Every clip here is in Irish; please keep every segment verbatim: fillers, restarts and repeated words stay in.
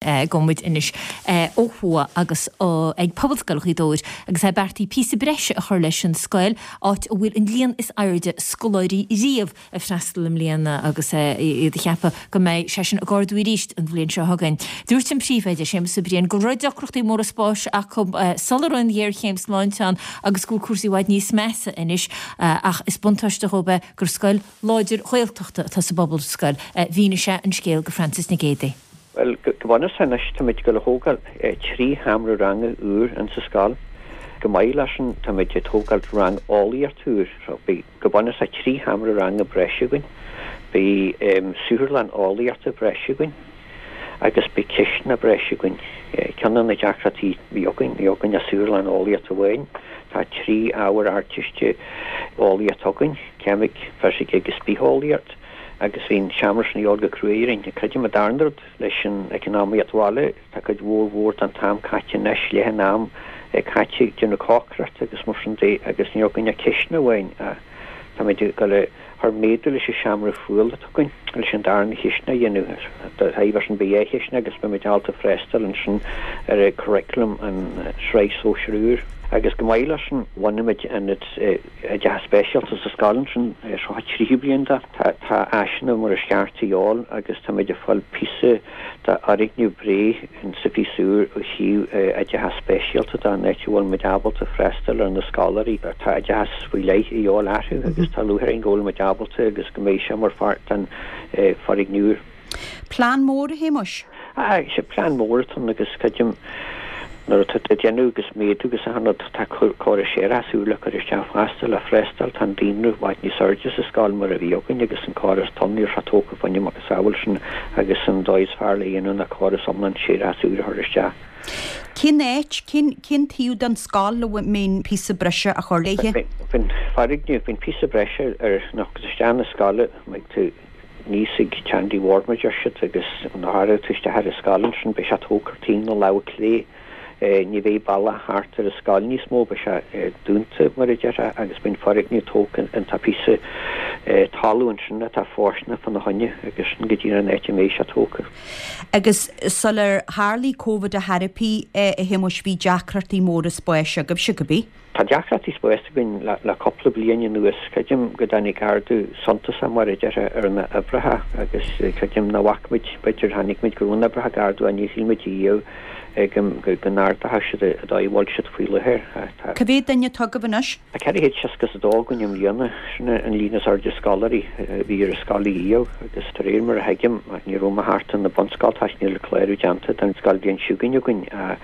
Gabhfaidh muid anois ó thuaidh agus ag Pobalscoil Ghaoth Dobhair agus é beartaithe píosa breise a chur leis an scoil, áit a bhfuil an líon is airde scoláirí riamh ag freastal i mbliana agus iad ag ceapadh go mbeidh sé sin ag ardú arís an bhliain seo chugainn. Dúirt an príomhoide Séamus Ó Briain go raibh deacrachtaí móra spáis acu sula raibh an ghéarchéim sláinte ann agus go bhfuil cúrsaí i bhfad níos measa anois ach is buntáiste dóibh é gur scoil láidir Ghaeltachta atá sa bPobalscoil. Mhínigh sé an scéal go Francis Nic Géadaigh. Bhuel, go bunúsach anois táimid ag dul a thógáil trí sheomra ranga úr insa scoil. Chomh maith leis sin táimid ag tógáil rang eolaíochta úr. So beidh go bunúsach trí sheomra ranga breise againn, beidh saotharlann eolaíochta breise againn agus beidh cistineach breise againn. Ceann de na deacrachtaí a bhí againn, bhí againn ach saotharlann eolaíochta amháin. Tá trí ábhar Ardteiste eolaíochta againn, ceimic, fisic agus bitheolaíocht. Agus bhí an seomra sin a dhíobháil go cruaidh orainn. Creidim an darna rud leis an eacnamaíocht bhaile, tá cuid mhór mhór den t-am caite anois, leath an am caite ag déanamh cócaireachta agus mar sin de agus ní raibh againn ach cistineach amháin ach táimid ag dul a chur méadú leis an seomra fuála atá againn leis an darna chistineach a dhéanamh. Dá thaobh sin beidh dhá chistineach agus beimid ábalta freastal ansin ar an curriculum an sraith sóisir úr. Agus chomh maith leis sin bhunaigh muid ionad oideachas speisialta sa scoil ansin, seo an tríú bliain de. Tá tá áiseanna mar is ceart a dhíobháil agus táimid ag fáil píosa d'fhoirgneamh breá insa phíosa úr ó thaobh oideachas speisialta de, an áit a bhfuil muid ábalta freastal ar na scoláirí. Tá oideachas faoi leith a dhíobháil orthu agus tá lúcháir orainn go bhfuil muid ábalta agus go mbeidh sé mar pháirt den foirgneamh úr. Plean mór, a Shéamuis? Ah, sé plean mór atá ann agus creidim nuair atá tú ag déanamh agus méadú agus achan rud, tá córas séarachais úr le cur isteach fosta le freastal, tá an daonra i bhfad níos airde sa scoil mar a bhí againn agus an córas tonn níl sé tógtha fá choinne macasamhail sin agus an dóigh is fearr le dhéanamh ná córas iomlán séarachais úr a chur isteach. Cén áit, cén, cén taobh den scoil a mbeidh an píosa breise á chur léi? Faoin foirgneamh, faoin píosa breise ar nó agus isteach na scoile, mbeidh tú níos ag Sandy Ward mar deir siad agus nuair a thagann tú isteach ar an scoil ansin beidh sé tógtha ar taobh na láimhe clé. Ní bheidh bealach thart ar an scoil níos mó, beidh sé dúnta mar a déarfá agus beidh an foirgneamh tógtha an tá píosa talamh ansin atá fóirsteanach fána choinne agus sin go dtí an áit a mbeidh sé tógtha. Agus sular tharlaigh Covid a thairpí a Shéamuis bhí deacrachtaí móra spáis agaibhse, go bí? Tá deacrachtaí spáis againn le, le cúpla bliain anuas. Creidim go dtáinig ardú suntasach mar a déarfá ar na hoibreacha agus creidim nach bhfaca muid, b'fhéidir chonaic muid go raibh na oibreacha ag ardú ach níor shíl muid riamh go, go n-ardódh siad an dóigh a bhfuil siad faoi láthair. Tá. Cá mhéad duine atá agaibh anois? Tá ceithre chéad seasca is a dó againn i mbliana. Sin an líon is airde scoláirí a bhí ar an scoil riamh agus de réir mar a thuigim, ní raibh mé thart in na bunscoil toisc níl clárú déanta don scoilbhliain seo chugainn againn ach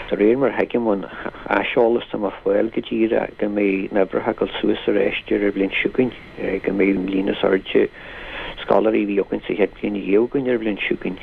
De réir mar a thuigim ón aiseolas atá mé a fháil go díreach go mbeidh na huimhreacha ag dul suas arís ar an bhliain seo chugainn, go mbeidh an líon is airde scoláirí a bhí againn sa chéad bhliain riamh againn ar an bhliain seo chugainn.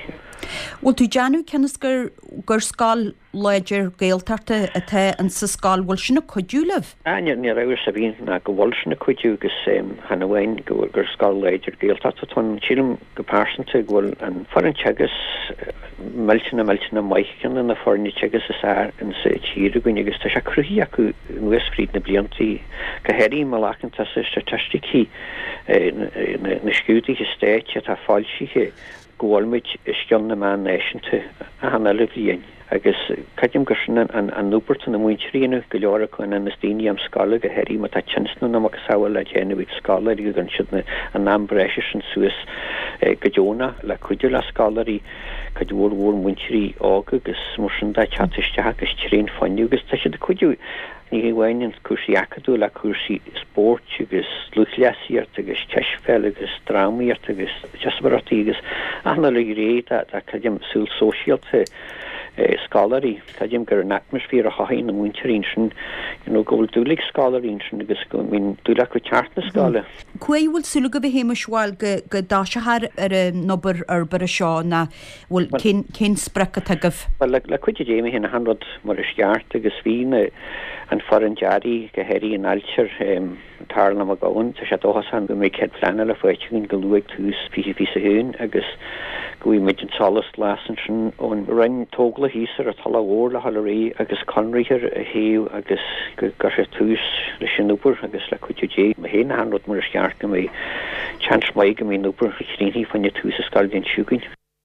Bhfuil tú ag déanamh cionn is gur gur scoil láidir Gaeltachta atá insa scoil, bhfuil sin ag cuidiú libh? Ah, níl amhras ar bith ná go bhfuil sin ag cuidiú agus chan amháin go bhfuil gur scoil láidir Gaeltachta atá ann, sílim go pearsanta go bhfuil an foireann teagaisc millteanach millteanach maith, ceann de na foirne teagaisc is fearr insa tír againn agus tá sé cruthaithe acu anuas fríd na bliantaí, go háirithe má ghlacann tusa staitisticí na scrúduithe stáit atá foilsithe go bhfuil muid os cionn na meán náisiúnta achan uile bhliain. Agus creidim gur sin an obair atá na múinteoirí a dhéanamh, go leor acu ina ndaoine am scoile, go háirithe má tá tinneas nó na macasamhail le déanamh ag scoláirí go gcuireann siad an am breise sin suas go deonach le cuidiú le scoláirí, cuid mhór mhór múinteoirí óga agus mar sin de ag teacht isteach agus tréan fuinneamh agus tá siad ag cuidiú ní hamháin in cúrsaí acadúla ach cúrsaí spóirt agus lúthchleasaíocht agus cispheil agus drámaíocht agus díospóireachtaí agus achan uile ghné de creidim saol sóisialta scoláirí. Creidim gur an atmaisféar a chothaíonn na múinteoirí ansin, you know, go bhfuil dúil ag scoláirí ansin agus go mbíonn dúil acu teacht na scoile. Cá huair a bhfuil súil agaibh a Shéamuis, bhuel, go go dtoiseofar ar an obair fhorbartha seo nó bhfuil cén cén sprioc atá agaibh? Bhuel, le le cuidiú Dé beidh achan rud mar is ceart agus bhí na an foireann dearaidh go háirithe an ailtire Tarlach Mac Gabhann, tá sé dóchasach go mbeidh cead pleanála faighte againn go luath ag tús fiche fiche a haon agus go bhfaighidh muid an solas glas ansin ón Roinn Tógála thíos ar an Tulach Mhór le dhul ar aghaidh agus conraitheoir a thoghadh agus go gcuirfear tús leis an obair agus le cuidiú Dé, má théann achan rud mar is ceart go mbeidh seans maith go mbeidh an obair críochnaithe fá choinne tús an scoilbhliain seo chugainn.